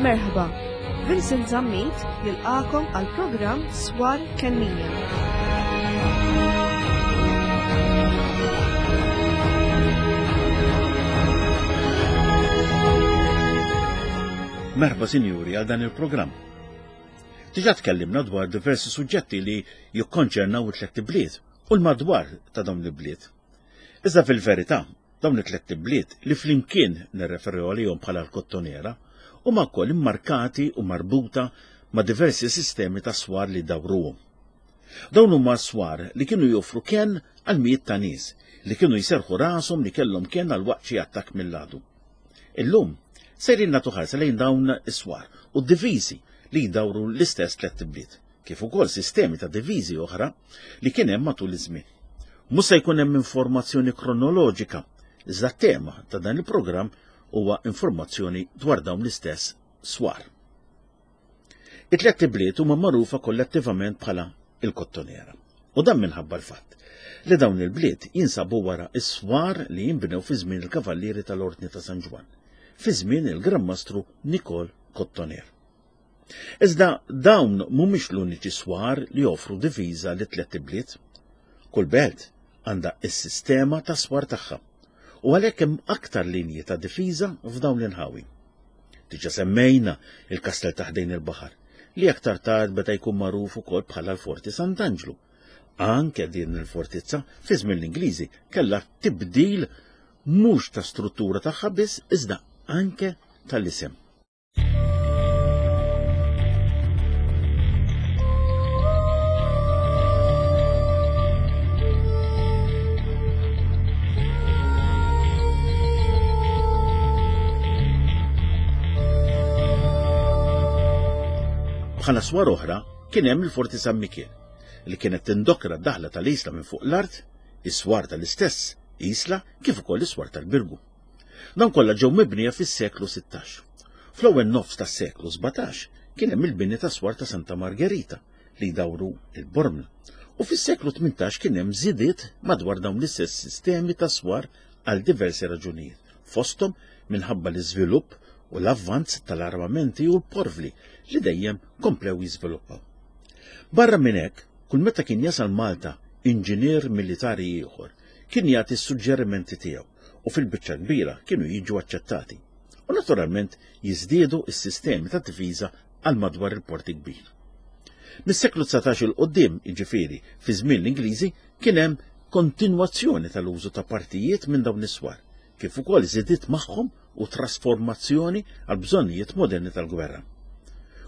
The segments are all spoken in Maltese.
Merħba, Vincent Zammit jilqakom għal programm Swar Kennija. Merħba sinjuri għal dan il-programm. Diġà tkellimna dwar diversi suġġetti li jikkonċernaw it-tlett ibliet u l-madwar ta' dawn l-ibliet. Iżda fil-verità, dawn it-tlett ibliet li flimkien nirreferu għalihom bħala l-Kottonera huma wkoll immarkati u marbuta ma' diversi sistemi ta' swar li dawruhom. Dawn huma swar li kienu joffru kenn għal mijiet ta' nies li kienu jserrħu rashom li kellhom kenn għal waqt xi attakk mill-għadu. Illum, sejrin nagħtu ħarsa lejn dawn is-swar u d-diviżi li jdawru l-istess tlett ibliet, kif ukoll sistemi ta' diviżi oħra li kien hemm matul iż-żmien. Mhux se jkun hemm informazzjoni kronoloġika, iżda t-tema ta' dan il-programm huwa informazzjoni dwar dawn l-istess swar. It-tlett ibliet huma magħrufa kollettivament bħala il-Kottonera. U dan minħabba l-fatt li dawn il-bliet jinsabu wara s-swar li jinbnew fi żmien il-Kavallieri tal-Ordni ta' San Ġwann, fi żmien il-Gran Mastru Nikol Kottoner. Iżda dawn mhumiex l-uniċi swar li joffru diviża li tlett ibliet. Kull belt għandha s-sistema ta' swar tagħha u għalhekk hemm aktar linji ta' difiża f'dawn l-inħawi. Diġà semmejna il-kastell ta' ħdejn il-baħar, li aktar tard beda jkun magħruf ukoll bħala l-Forti Sant'Anġlu. Anke din il-fortizza fi żmien l-Ingliżi kellha tibdil mhux ta' struttura tagħha biss iżda anke tal-isem. Bħala swar oħra kien hemm il-Forti San Mikiel li kienet tindokra d-daħla tal-isla minn fuq l-art, is-swar tal-istess isla kif ukoll is-swar tal-Birgu. Dawn kollha ġew mibnija fis-seklu 16. Fl-ewwel nofs tas-seklu 17 kien hemm il-bini ta' swar ta' Santa Margherita li jdawru il-Bormla. U fis-seklu 18 kien hemm żidiet madwar dawn l-istess sistemi ta' swar għal diversi raġunijiet, fosthom minħabba l-iżvilupp u l-avvanz tal-armamenti u l-porvli li dejjem komplew jiżviluppaw. Barra minn hekk, kull meta kien jasal Malta inġinier militari ieħor kien jagħti s-suġġerimenti tiegħu u fil-biċċa kbira kienu jiġu aċċettati. U naturalment jiżdiedu s-sistemi ta' difiża għal madwar il-Port il-Kbir. Mis-seklu 19 il quddiem, jiġifieri fi żmien l-Ingliżi, kien hemm kontinwazzjoni tal-użu ta' partijiet minn dawn is-swar, kif ukoll żidiet magħhom u trasformazzjoni għal bżonnijiet moderni tal-gwerra.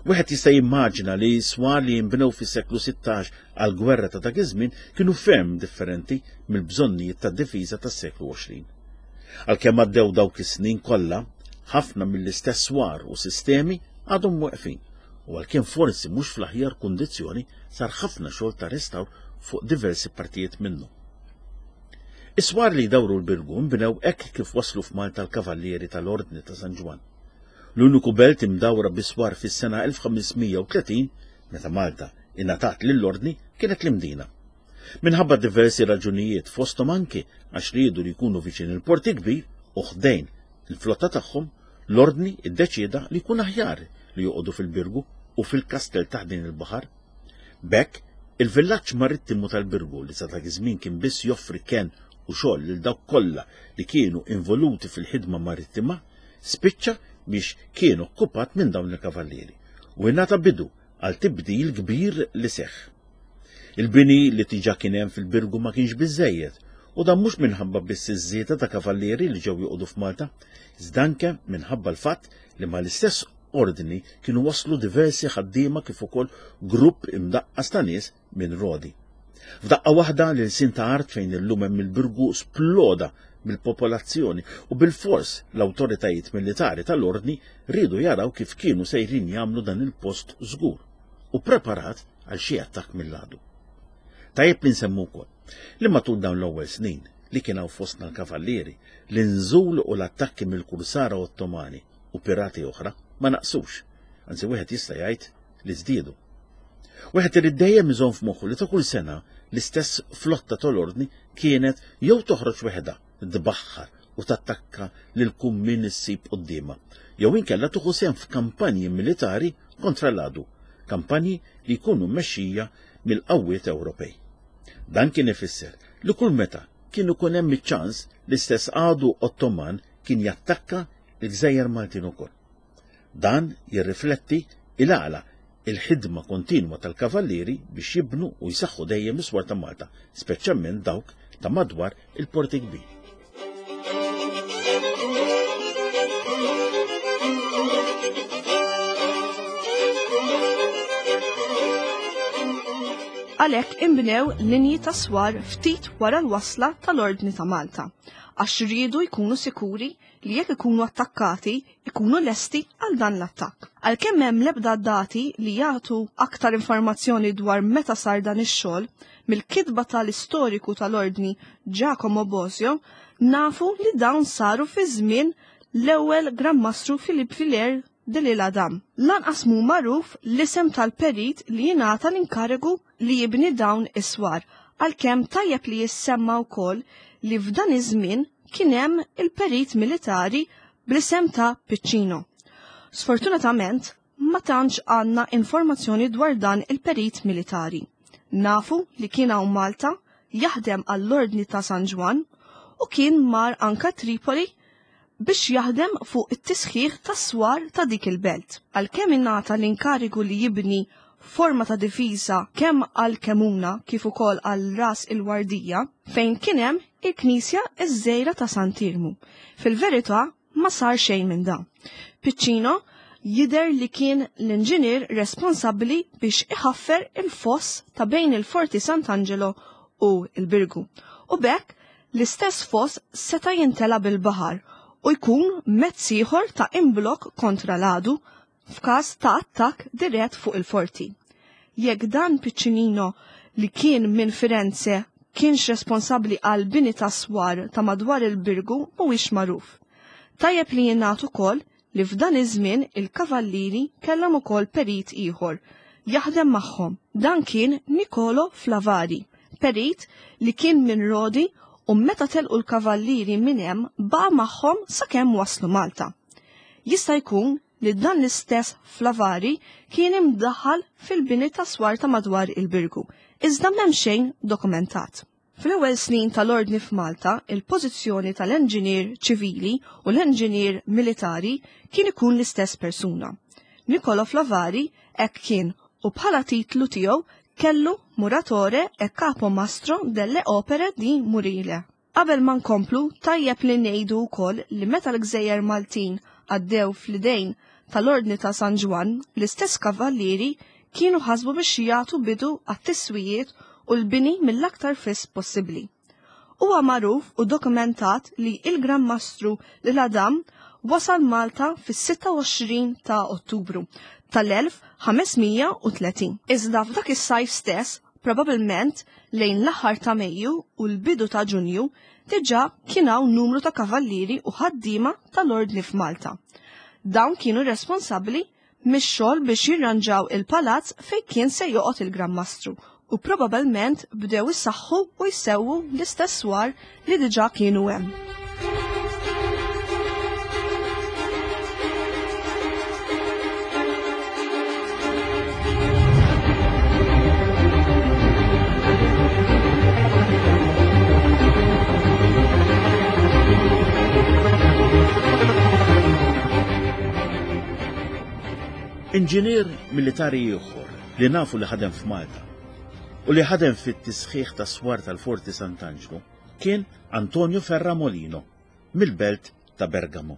Wieħed jista' jimmaġina li swar li jinbnew fis-seklu 16 għal gwerra ta' dak iż-żmien kienu ferm differenti mill-bżonnijiet tad-difiża tas-seklu 20. Għalkemm għaddew dawk is-snin kollha, ħafna mill-istess swar u sistemi għadhom weqfin u għalkemm forsi mhux fl-aħjar kundizzjoni sar ħafna xogħol ta' restawr fuq diversi partijiet minnu. Is-swar li jdawru l-Birgu nbnew hekk kif waslu f'Malta l-Kavallieri tal-Ordni ta' San Ġwann. L-uniku belt imdawra bi swar fis-sena 1530, meta Malta ingħatat lill-Ordni, kienet l-Imdina. Minħabba diversi raġunijiet fosthom anki għax riedu li jkunu viċin il-Port il-Kbir u ħdejn il-flotta tagħhom, l-Ordni ddeċieda li jkun aħjar li joqogħdu fil-Birgu u fil-kastell ta' ħdejn il-baħar. B'hekk, il-villaġġ marittimu tal-Birgu li sa dak iż-żmien kien biss joffri kenn u xogħol lil dawk kollha li kienu involuti fil-ħidma marittima, spiċċa biex kien okkupat minn dawn il-kavallieri u ingħata bidu għal tibdil kbir li seħħ. Il-bini li diġà kien hemm fil-Birgu ma kienx biżżejjed, u dan mhux minħabba biss iż-żieda ta' kavallieri li ġew joqogħdu f'Malta, iżda anke minħabba l-fatt li mal-istess ordni kienu waslu diversi ħaddiema kif ukoll grupp imdaqqas ta' nies minn Rodi. F'daqqa waħda l-ilsien ta' art fejn illum hemm il-Birgu sploda bil-popolazzjoni u bilfors l-awtoritajiet militari tal-ordni riedu jaraw kif kienu sejrin jagħmlu dan il-post żgur u preparat għal xi attakk mill-għadu. Tajjeb li nsemmu wkoll li matul dawn l-ewwel snin li kien hawn fostna l-kavallieri, l-inżul u l-attakki mill-kursara Ottomani u pirati oħra ma naqsux, anzi wieħed jista' jgħid li żdiedu. Wieħed irid dejjem iżomm f'moħħu li ta' kull sena l-istess flotta tal-ordni kienet jew toħroġ weħedha tbaħħar u. u tattakka lil kull min issib quddiemha, jew inkella tieħu sehem f'kampanji militari kontra l-għadu, kampanji li jkunu mmexxija mill-qawwiet Ewropej. Dan kien ifisser li kull meta kien ikun hemm iċ-ċans l-istess għadu Ottoman kien jattakka l-gżejjer Maltin ukoll. Dan jirrifletti il-għala il-ħidma kontinwa tal-Kavallieri biex jibnu u jsaħħu dejjem is-swar ta' Malta, speċjalment dawk ta' madwar il-Port il-Kbir. Għalhekk inbnew linji ta' swar ftit wara l-wasla tal-Ordni ta' Malta, għax riedu jkunu sikuri li jekk ikunu attakkati ikunu lesti għal dan l-attakk. Għalkemm m'hemm l-ebda dati li jagħtu aktar informazzjoni dwar meta sar dan ix-xogħol, mill-kitba tal-istoriku tal-Ordni Giacomo Bosio nafu li dawn saru fi żmien l-ewwel Gran Mastru Philippe Villiers de l'Isle-Adam. Lanqas mhu magħruf l-isem tal-perit li jingħata l-inkarigu li jibni dawn is-swar, għalkemm tajjeb li jissemma wkoll li f'dan iż-żmien kien hemm il-perit militari bl-isem ta' Piccino. Sfortunatament, ma tantx għandna informazzjoni dwar dan il-perit militari. Nafu li kien hawn Malta jaħdem għall-Ordni ta' San Ġwann u kien mar anka Tripoli biex jaħdem fuq it-tisħiħ tas-swar ta' dik il-belt. Għalkemm ingħata l-inkarigu li jibni forma ta' difiża kemm għal Kemuna kif ukoll għal Ras il-Wardija, fejn kien hemm il-knisja ż-żgħira ta' Sant'Iermu. Fil-verità ma sar xejn minn dan. Piccino jidher li kien l-inġinier responsabbli biex iħaffer il-foss ta' bejn il-Forti Sant'Angelo u l-Birgu u b'hekk l-istess foss seta' jintela' bil-baħar u jkun mezz ieħor ta' imblokk kontra l-għadu f'każ ta' attakk dirett fuq il-forti. Jekk dan Piccinino li kien minn Firenze kienx responsabbli għall-bini ta' swar ta' madwar il-Birgu mhuwiex magħruf. Tajjeb li jingħad ukoll li f'dan iż-żmien il-Kavallieri kellhom ukoll perit ieħor jaħdem magħhom. Dan kien Nicolo Flavari, perit li kien minn Rodi u meta telqu l-Kavallieri minn hemm baqa' magħhom sakemm waslu Malta. Jista' jkun li dan l-istess Flavari kien imdaħħal fil-bini ta' swar ta' madwar il-Birgu, iżda m'hemm xejn dokumentat. Fl-ewwel snin tal-Ordni f'Malta, il-pożizzjoni tal-enġinier ċivili u l-enġinier militari kien ikun l-istess persuna. Niccolò Flavari hekk kien u bħala titlu tiegħu kellu Muratore e Capo Mastro delle Opere di Murile. Qabel ma nkomplu, tajjeb li ngħidu wkoll li meta l-gżejjer Maltin għaddew fl-idejn tal-Ordni ta' San Ġwann, l-istess kavallieri kienu ħasbu biex jagħtu bidu għat-tiswijiet u l-bini mill-aktar fis possibbli. Huwa magħruf u dokumentat li il-Gran Mastru L'Isle-Adam wasal Malta fis-26 ta' Ottubru tal-1530. Iżda f'dak is-sajf stess Probabilment lejn l-aħħar ta' Mejju u l-bidu ta' Ġunju diġà kien hawn numru ta' kavallieri u ħaddiema tal-Ordni f'Malta. Dawn kienu responsabbli mix-xogħol biex jirranġaw il-palazz fejn kien se joqgħod il-Gran Mastru u probabilment bdew isaħħu u jsewwu l-istess swar li diġà kienu hemm. Inġinier militari ieħor li nafu li ħadem f'Malta u li ħadem fit-tisħiħ ta' swar tal-Forti Sant'Anġlu kien Antonio Ferramolino mill-belt ta' Bergamo.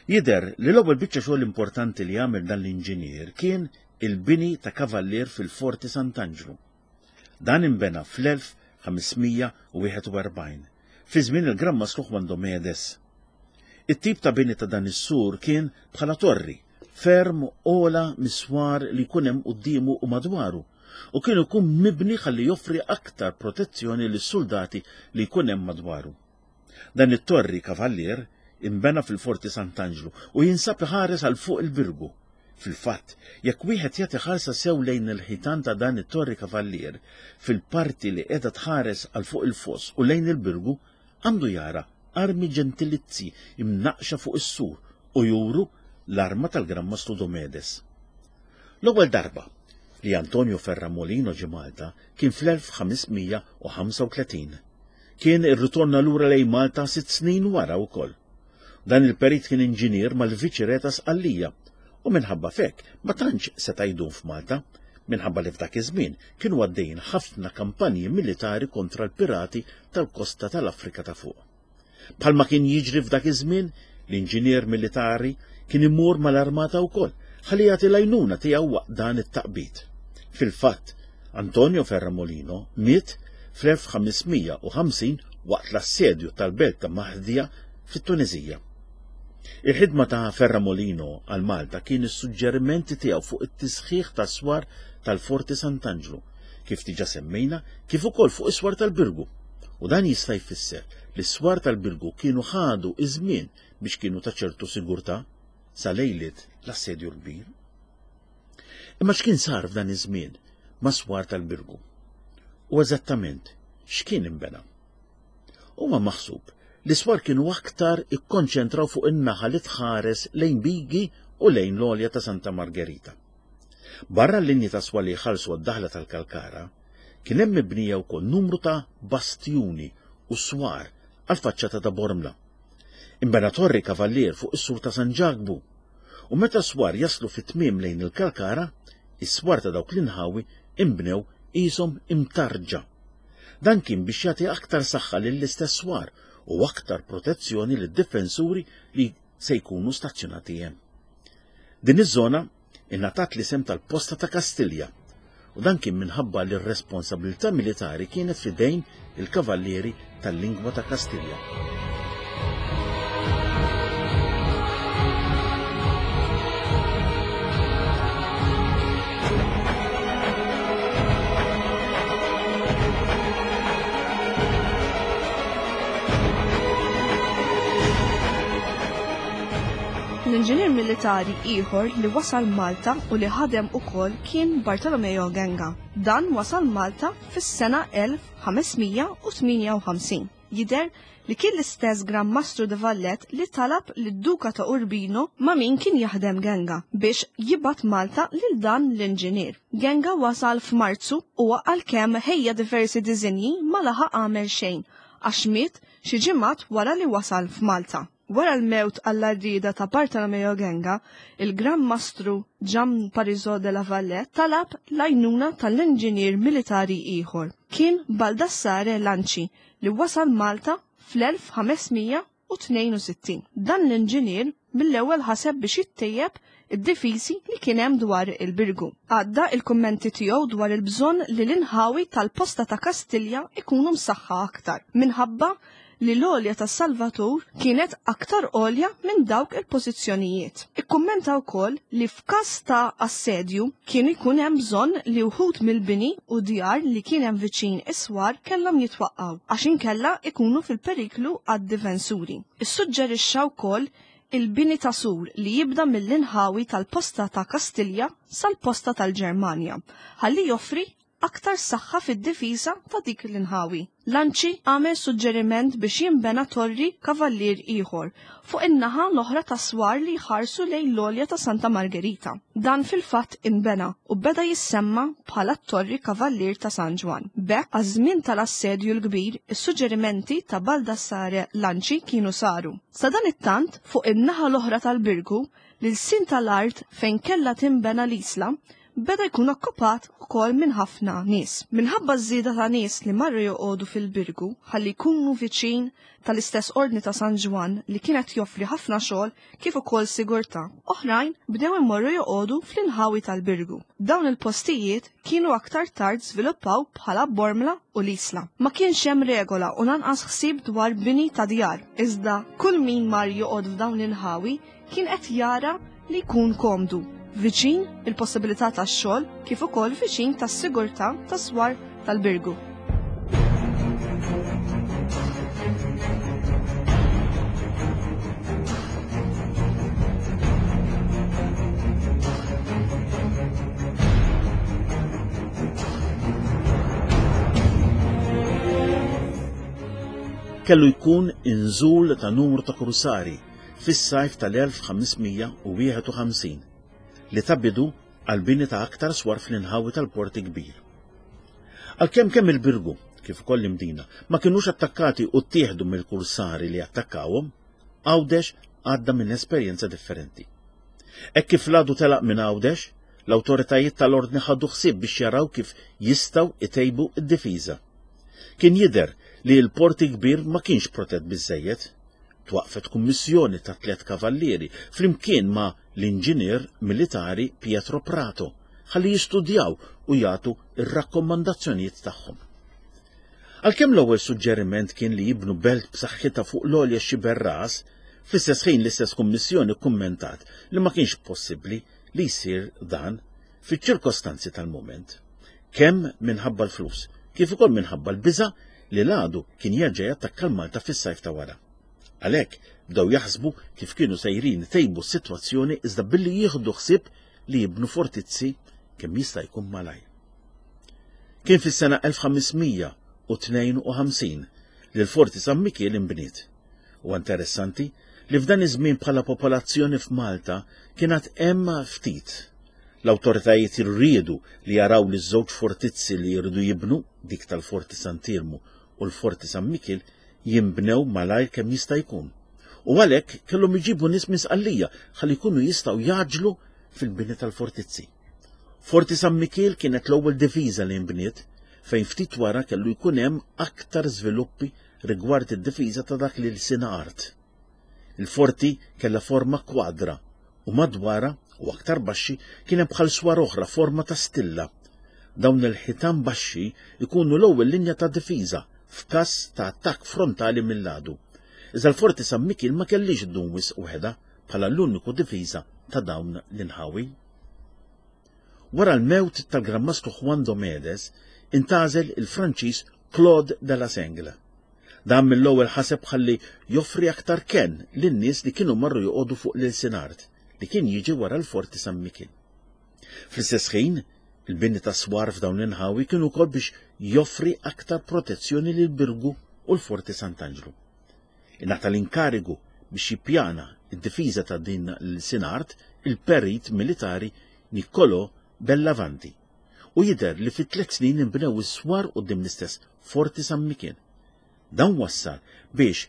Jidher li l-ewwel biċċa xogħol importanti li għamel dan l-inġinier kien il-bini ta' kavallier fil-Forti Sant'Anġlu. Dan inbena fl-1541, fi żmien il-Gran Mastru Juan Domedes. It-tip ta' bini ta' dan is-sur kien bħala torri, ferm ogħla mis-swar li jkun hemm quddiemu u madwaru, u kien ikun mibni ħalli joffri aktar protezzjoni lis-suldati li jkun hemm madwaru. Dan it-torri kavallier inbena fil-Forti Sant'Anġlu u jinsab iħares għal fuq il-Birgu. Fil-fatt, jekk wieħed jagħti ħarsa sew lejn il-ħitan ta' dan it-torri kavallier, fil-parti li qiegħda tħares għal fuq il-foss u lejn il-Birgu, għandu jara armi ġentilizzi imnaqqxa fuq is-sur u juru l-arma tal-Gran Mastru Domedes. L-ewwel darba li Antonio Ferramolino ġie Malta kien fl-1535. Kien irritorna lura lejn Malta sitt snin wara wkoll. Dan il-perit kien inġinier mal-Viċi-Re ta' Sqallija u minħabba f'hekk ma tantx seta' jdum f'Malta minħabba li f'dak iż-żmien kienu għaddejjin ħafna kampanji militari kontra l-pirati tal-kosta tal-Afrika ta' Fuq. Bħalma kien jiġri f'dak iż-żmien, l-inġinier militari kien imur mal-armata wkoll ħalli jagħti l-għajnuna tiegħu waqt dan it-taqbid. Fil-fatt, Antonio Ferramolino miet fl-1550 waqt l-assedju tal-belt ta' Mahdia fit-Tuneżija. Il-ħidma ta' Ferramolino għal Malta kien is-suġġerimenti tiegħu fuq it-tisħiħ tas-swar tal-Forti Sant'Anġlu, kif diġà semmejna, kif ukoll fuq is-swar tal-Birgu. U dan jista' jfisser li s-swar tal-Birgu kienu ħadu iż-żmien biex kienu ta' ċertu sigurtà sa lejliet l-Assedju l-Kbir. Imma x'kien sar f'dan iż-żmien mas-swar tal-Birgu? U eżattament x'kien inbena? Huwa maħsub li s-swar kienu aktar ikkonċentraw fuq in-naħa li tħares lejn Bigi u lejn l-għolja ta' Santa Margherita. Barra l-linji ta' swar li jħallsu għad-daħla tal-Kalkara, kien hemm mibnija wkoll numru ta' bastjuni u swar għall-faċċata ta' Bormla. Inbena torri kavallier fuq is-sur ta' San Ġakbu, u meta s-swar jaslu fit-tmiem lejn il-Kalkara, is-swar ta' dawk l-inħawi inbnew qishom imtarrġa. Dan kien biex jagħti aktar saħħa lill-istess swar u aktar protezzjoni lid-difensuri li se jkunu stazzjonati hemm. Din iż-żona ingħatat l-isem tal-Posta ta' Kastilja u dan kien minħabba li r-responsabilità militari kienet f'idejn il-Kavallieri tal-Lingwa ta' Kastilja. L-inġinier militari ieħor li wasal Malta u li ħadem ukoll kien Bartolomeo Genga. Dan wasal Malta fis-sena 1558. Jidher li kien l-istess Gran Mastru de Vallet li talab lid-Duka ta' Urbino ma' min kien jaħdem Genga biex jibgħat Malta lil dan l-inġinier. Genga wasal f'Marzu u għalkemm ħejja diversi diżinji ma laħaq għamel xejn għax miet xi ġimgħat wara li wasal f'Malta. Wara l-mewt għall-għarrieda ta' Bartolomeo Genga, il-Gran Mastru Gian Parisot de la Valette talab l-għajnuna tal-inġinier militari ieħor. Kien Baldassare Lanci li wasal Malta fl-1562. Dan l-inġinier mill-ewwel ħaseb biex jittejjeb id-difiżi li kien hemm dwar il-Birgu. Għadda il-kummenti tiegħu dwar il-bżonn li l-inħawi tal-posta ta' Kastilja ikunu msaħħa aktar minħabba li l-għolja tas-Salvatur kienet aktar għolja minn dawk il-pożizzjonijiet. Ikkummenta wkoll li f'każ ta' assedju kien ikun hemm bżonn li wħud mill-bini u djar li kien hemm viċin is-swar kellhom jitwaqqgħu għax inkella ikunu fil-periklu għad-difensuri. Issuġġerixxa wkoll il-bini ta' sur li jibda mill-inħawi tal-posta ta' Kastilja sal-posta tal-Ġermanja ħalli joffri aktar saħħa fid-difiża ta' dik l-inħawi. Lanci għamel suġġeriment biex jinbena torri kavallier ieħor fuq in-naħa l-oħra tas-swar li jħarsu lejn l-għolja ta' Santa Margherita. Dan fil-fatt inbena u beda jissemma bħala t-Torri Kavallier ta' San Ġwann. B'hekk, għaż-żmien tal-Assedju l-Kbir, is-suġġerimenti ta' Baldassare Lanci kienu saru. Sadanittant, fuq in-naħa l-oħra tal-Birgu, l-ilsien tal-art fejn kellha tinbena l-Isla beda jkun okkupat ukoll minn ħafna nies. Minħabba ż-żieda ta' nies li marru joqogħdu fil-Birgu ħalli jkunu viċin tal-istess Ordni ta' San Ġwann li kien qed joffri ħafna xogħol kif ukoll sigurtà, oħrajn bdew imorru joqogħdu fl-inħawi tal-Birgu. Dawn il-postijiet kienu aktar tard żviluppaw bħala Bormla u l-Isla. Ma kienx hemm regola u lanqas ħsieb dwar bini ta' djar, iżda kull min mar joqgħod f'dawn l-inħawi kien qed jara li jkun komdu, viċin il-possibilità tax-xogħol kif ukoll viċin tas-sigurtà tas-swar tal-Birgu. kellu jkun inżul ta' numru ta' kursari fis-sajf tal-1551 li ta bidu għall-bini ta' aktar swar fl-inħawi tal-Port il-Kbir. Għalkemm kemm il-Birgu kif ukoll l-Imdina ma kinux attakkati u ttieħdu mill-kursari li attakkawhom, Għawdex għadda minn esperjenza differenti. Hekk kif l-għadu telaq minn Għawdex, l-awtoritajiet tal-Ordni ħadu ħsieb biex jaraw kif jistgħu jtejbu d-difiża. Kien jidher li l-Port il-Kbir ma kienx protett biżżejjed. Twaqqfet kummissjoni ta' tlett kavallieri flimkien ma' l-inġinier militari Pietro Prato ħalli jistudjaw u jagħtu r-rakkomandazzjonijiet tagħhom. Għalkemm l-ewwel suġġeriment kien li jibnu belt b'saħħitha fuq l-għolja Xiberras, fl-istess ħin l-istess kummissjoni kkummentat li ma kienx possibbli li jsir dan fiċ-ċirkostanzi tal-mument, kemm minħabba l-flus, kif ukoll minħabba l-biża' li l-għadu kien jerġa' jattakka l-Malta fis-sajf ta' wara. Għalhekk bdew jaħsbu kif kienu sejrin itejbu s-sitwazzjoni iżda billi jieħdu ħsieb li jibnu fortizzi kemm jista' jkun malajr. Kien fis-sena 1552 li l-Forti San Mikiel inbniet. Huwa interessanti li f'dan iż-żmien bħala popolazzjoni f'Malta kien għad hemm ftit. L-awtoritajiet riedu li jaraw li ż-żewġ fortizzi li jridu jibnu, dik tal-Forti Sant'Iermu u l-Forti San Mikiel, jinbnew malajr kemm jista' jkun. U għalhekk kellhom iġibu nies minn Sqallija ħalli jkunu jistgħu jgħaġġlu fil-bini tal-fortizzi. Forti San Mikiel kienet l-ewwel difiża li nbniet fejn ftit wara kellu jkun hemm aktar żviluppi rigward id-difiża ta' dak l-ilsien art. Il-forti kellha forma kwadra u madwarha u aktar baxxi kien hemm bħal swar oħra forma ta' stilla. Dawn il-ħitan baxxi jkunu l-ewwel linja ta' difiża f'każ ta' attakk frontali mill-għadu. Iżda l-Forti San Mikiel ma kellhiex ddum wisq waħedha bħala l-uniku difiża ta' dawn l-inħawi. Wara l-mewt tal-Gran Mastru Juan Domedes, intgħażel il-Franċiż Claude de la Sengle. Dan mill-ewwel ħaseb ħalli joffri aktar kenn lin-nies li kienu marru joqogħdu fuq l-ilsien art li kien jiġi wara l-Forti San Mikiel. Fl-istess ħin, il-bini ta' swar f'dawn l-inħawi kien ukoll biex joffri aktar protezzjoni lil Birgu u l-Forti Sant'Anġlu. Ingħata l-inkarigu biex jippjana d-difiża ta' din l-ilsien art il-perit militari Niccolò Bellavanti u jidher li fi tlett snin inbnew is-swar quddiem l-istess Forti San Mikiel. Dan wassal biex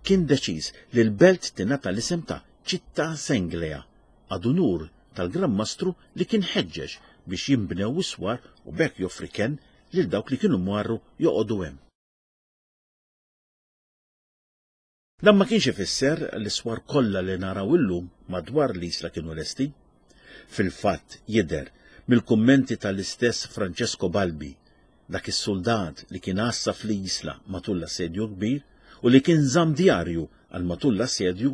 kien deċiż li l-belt tingħata l-isem ta' Città Senglea ad unur tal-Gran Mastru li kien ħeġġeġ biex jinbnew is-swar u b'hekk joffri kenn lil dawk li kienu marru joqogħdu hemm. Dan ma kienx ifisser li s-swar kollha li naraw illum madwar l-Isla kienu lesti. Fil-fatt jidher mill-kummenti tal-istess Francesco Balbi, dak is-suldat li kien għassa fl-Isla matul l-Assedju l-Kbir u li kien żamm djarju għal matul l-assedju,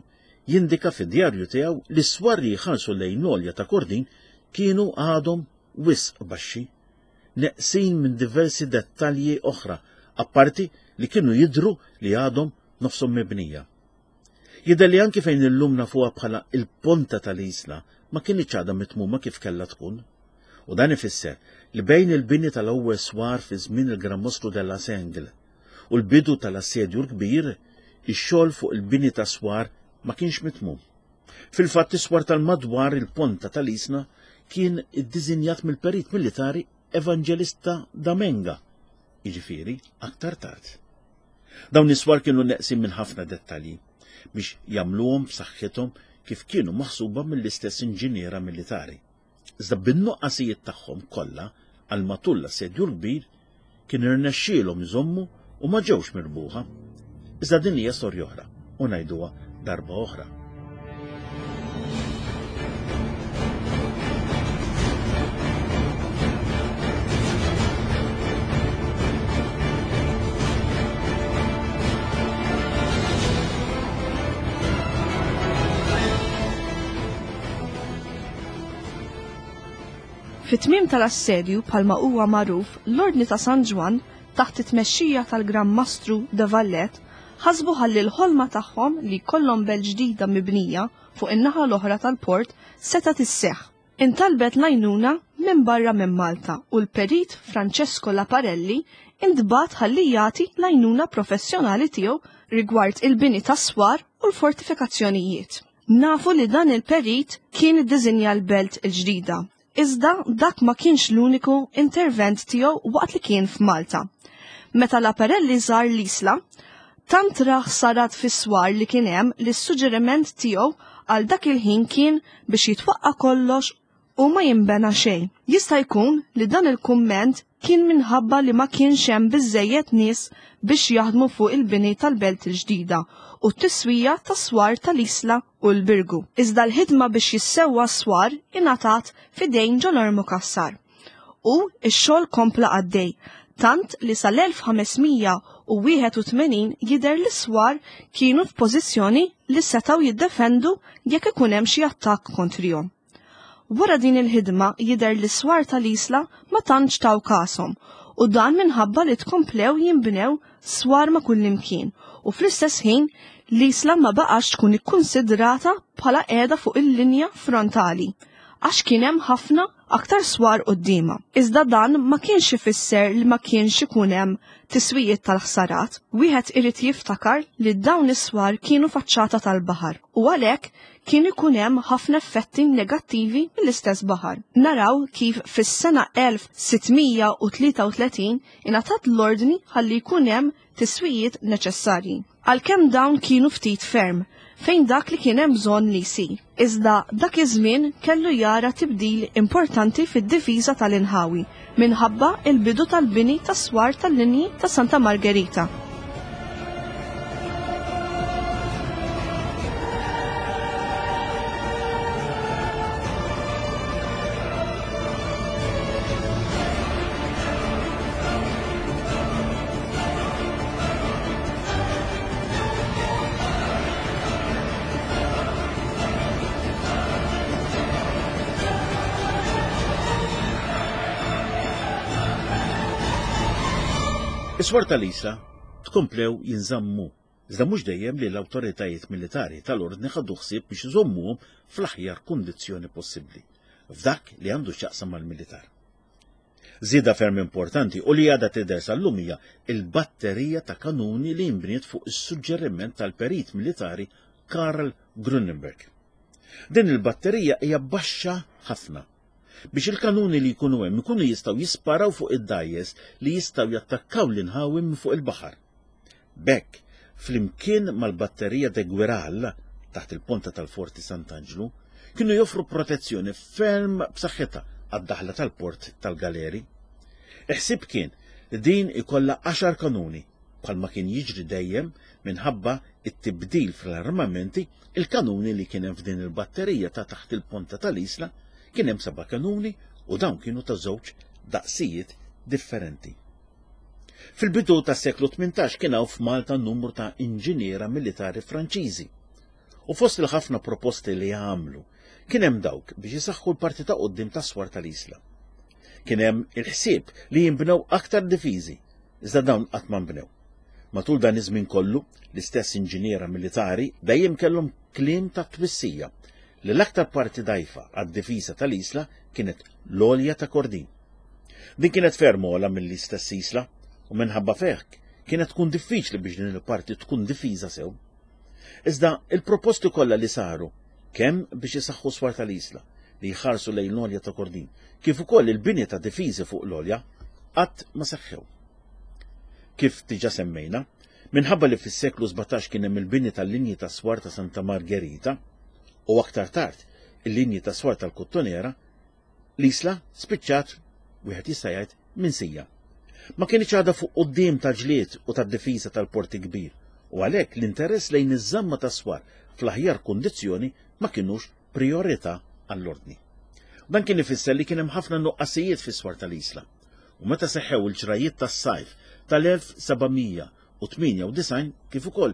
jindika fid-djarju tiegħu li s-swar li jħarsu lejn l-għolja ta' Kordin kienu għadhom wisq baxxi. neqsin minn diversi dettalji oħra, apparti li kienu jidhru li għadhom nofshom mibnija. Jidher li anki fejn illum nafuha bħala il-ponta tal-Isla ma kinitx għadha mitmuma kif kellha tkun. U dan ifisser li bejn il-bini tal-ewwel swar fi żmien il-Gran Mostru della Sengle u l-bidu tal-Assedju l-Kbir, ix-xogħol fuq il-bini ta' swar ma kienx mitmum. Fil-fatt is-swar tal-madwar il-ponta tal-Isla kien iddiżinjat mill-perit militari Evangelista Damenga, jiġifieri aktar tard. Dawn is-swar kienu neqsin minn ħafna dettalji biex jagħmluhom b'saħħithom kif kienu maħsuba mill-istess inġiniera militari. Iżda bin-nuqqasijiet tagħhom kollha għal matul l-Assedju l-Kbir kien irnexxielhom iżommu u ma ġewx mirbuħa. Iżda din hija storja oħra u ngħiduha darba oħra. Fit-tmiem tal-assedju bħalma huwa magħruf, l-Ordni ta' San Ġwann, taħt it-tmexxija tal-Gran Mastru de Valette, ħasbu ħalli l-ħolma tagħhom li jkollhom belt ġdida mibnija fuq in-naħa l-oħra tal-port setgħet isseħħ. Intalbet l-għajnuna minn barra minn Malta u l-perit Francesco Laparelli intbagħat ħalli jagħti l-għajnuna professjonali tiegħu rigward il-bini tas-swar u l-fortifikazzjonijiet. Nafu li dan il-perit kien iddiżinja l-belt il-ġdida, iżda dak ma kienx l-uniku intervent tiegħu waqt li kien f'Malta. Meta Laparelli żar l-Isla, tant ra ħsarat fis-swar li kien hemm li s-suġġeriment tiegħu għal dak il-ħin kien biex jitwaqqa' kollox u ma jinbena xejn. Jista' jkun li dan il-kumment kien minħabba li ma kienx hemm biżżejjed nies biex jaħdmu fuq il-bini tal-belt il-ġdida u t-tiswija tas-swar tal-Isla u l-Birgu. Iżda l-ħidma biex jissewwa s-swar ingħatat f'idejn Ġolormu Cassar. U x-xogħol kompla għaddej, tant li sal-1581 jidher li s-swar kienu f'pożizzjoni li setgħu jiddefendu jekk ikun hemm xi attakk kontrihom. Wara din il-ħidma jidher li s-swar tal-Isla ma tantx taw kashom u dan minħabba li tkomplew jinbnew swar ma' kullimkien u fl-istess ħin l-Isla ma baqax tkun ikkunsidrata bħala qiegħda fuq il-linja frontali għax kien hemm ħafna aktar swar quddiemha. Iżda dan ma kienx ifisser li ma kienx ikun hemm tiswijiet tal-ħsarat. Wieħed irid jiftakar li dawn is-swar kienu faċċata tal-baħar u għalhekk kien ikun hemm ħafna effetti negattivi mill-istess baħar. Naraw kif fis-sena 1633 ingħatat l-ordni ħalli jkun hemm tiswijiet neċessarji. Għalkemm dawn kienu ftit ferm, fejn dak li kien hemm bżonn li jsir. Iżda dak iż-żmien kellu jara tibdil importanti fid-difiża tal-inħawi minħabba l-bidu tal-bini tas-swar tal-linji ta' Santa Margherita. Is-swar tal-Isla tkomplew jinżammu, iżda mhux dejjem li l-awtoritajiet militari tal-Ordni ħadu ħsieb biex iżommuhom fl-aħjar kundizzjoni possibbli, f'dak li għandu x'jaqsam mal-militar. Żieda ferm importanti u li għadha tidher sal-lum hija l-batterija ta' kanuni li nbniet fuq is-suġġeriment tal-perit militari Karl Grunenberg. Din il-batterija hija baxxa ħafna biex il-kanuni li jkunu hemm ikunu jistgħu jisparaw fuq id-dgħajjes li jistgħu jattakkaw l-inħawi minn fuq il-baħar. B'hekk, flimkien mal-batterija de Guiral taħt il-ponta tal-Forti Sant'Anġlu, kienu joffru protezzjoni ferm b'saħħitha għad-daħla tal-port tal-Galeri. Il-ħsieb kien li din ikollha għaxar kanuni, bħalma kien jiġri dejjem minħabba t-tibdil fl-armamenti, il-kanuni li kien hemm f'din il-batterija ta' taħt il-ponta tal-Isla kien hemm seba' kanuni u dawn kienu ta' żewġ daqsijiet differenti. Fil-bidu tas-seklu 18 kien hawn f'Malta numru ta' inġiniera militari Franċiżi. U fost il-ħafna proposti li għamlu, kien hemm dawk biex isaħħu l-parti ta' quddiem tas-swar tal-Isla. Kien hemm il-ħsieb li jinbnew aktar difiżi, iżda dawn qatt ma nbnew. Matul dan iż-żmien kollu, l-istess inġiniera militari dejjem kellhom kliem ta' twissija li l-aktar parti dgħajfa għad-difiża tal-Isla kienet l-għolja ta' Kordin. Din kienet ferm ogħla mill-istess Isla u minħabba f'hekk kienet tkun diffiċli biex din il-parti tkun difiża sew. Iżda il-proposti kollha li saru kemm biex isaħħu swar tal-Isla li jħarsu lejn l-għolja ta' Kordin, kif ukoll il-bini ta' difiżi fuq l-għolja, qatt ma seħħew. Kif diġà semmejna, minħabba li fis-seklu 17 kien hemm il-bini tal-linji ta' swar ta' Santa Margherita u aktar tard il-linji ta' swar tal-Kottonera, L-Isla spiċċat, wieħed jista' jgħid, minsija. Ma kinitx għadha fuq quddiem tal-ġlied u tad-difiża tal-Port il-Kbir u għalhekk l-interess lejn iż-żamma tas-swar fl-aħjar kundizzjoni ma kinux prijorità għall-Ordni. Dan kien ifisser li kien hemm ħafna nuqqasijiet fis-swar tal-Isla u meta seħħew il-ġrajjiet tas-sajf tal-1798 kif ukoll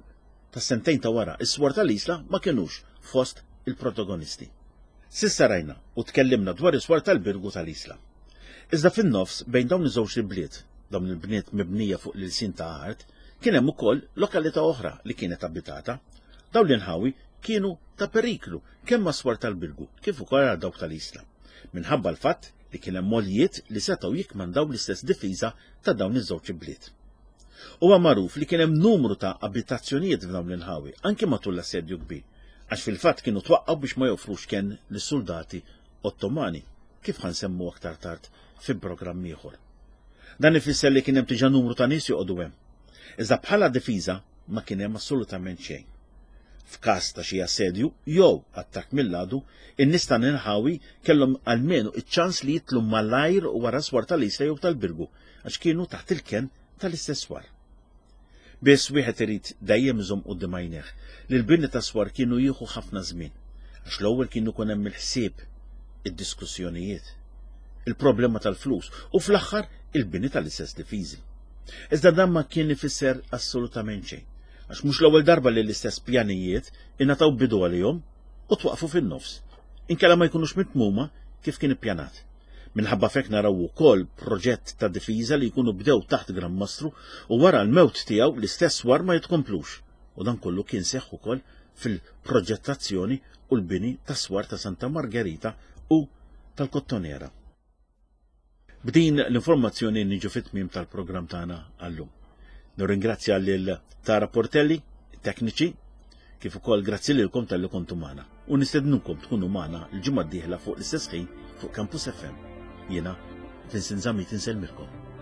tas-sentejn ta' wara, is-swar tal-Isla ma kinux fost il-protagonisti. S'issa rajna u tkellimna dwar is-swar tal-Birgu tal-Isla. Iżda fin-nofs bejn dawn iż-żewġt ibliet, dawn il-bniet mibnija fuq l-ilsien ta' art, kien hemm ukoll lokalità oħra li kienet abitata. Dawn l-inħawi kienu ta' periklu kemm għas-swar tal-Birgu kif ukoll għal dawk tal-Isla. minħabba l-fatt li kien hemm għoljiet li setgħu jikkmandaw l-istess difiża ta' dawn iż-żewġ ibliet. Huwa magħruf li kien hemm numru ta' abitazzjonijiet f'dawn l-inħawi anke matul l-Assedju Kbir, għax fil-fatt kienu twaqqgħu biex ma joffrux kenn lis-suldati Ottomani, kif ħa nsemmu aktar tard fi programm ieħor. Dan ifisser li kien hemm diġà numru ta' nies joqogħdu hemm. Iżda bħala difiża ma kien hemm assolutament xejn. F'każ ta' xi assedju jew attakk mill-għadu, in-nies ta' l-inħawi kellhom almenu iċ-ċans li jitlu malajr wara s-swar tal-Isla jew tal-Birgu għax kienu taħt il-kenn tal-istess swar. Biss wieħed irid dejjem iżomm quddiem għajnejh li l-bini ta' swar kienu jieħu ħafna żmien, għax l-ewwel kien ikun hemm il-ħsieb, id-diskussjonijiet, il-problema tal-flus u fl-aħħar il-bini tal-istess difiżi. Iżda dan ma kien ifisser assolutament xejn, għax mhux l-ewwel darba li l-istess pjanijiet ingħataw bidu għalihom u twaqfu fin-nofs, inkella ma jkunux mitmuma kif kien ippjanat. Minħabba f'hekk naraw ukoll proġett ta' difiża li jkunu bdew taħt Gran Mastru u wara l-mewt tiegħu l-istess swar ma jitkomplux. U dan kollu kien seħħ ukoll fil-proġettazzjoni u l-bini tas-swar ta' Santa Margherita u tal-Kottonera. B'din l-informazzjoni niġu fit-tmiem tal-programm tagħna għallum. Nirringrazzja lil Tara Portelli, tekniċi, kif ukoll grazzi lilkom talli kontu magħna. U nistednukom tkunu magħna l-ġimgħa d-dieħla fuq l-istess ħin fuq Campus FM. Jiena Vincent Zammit insellmilkom.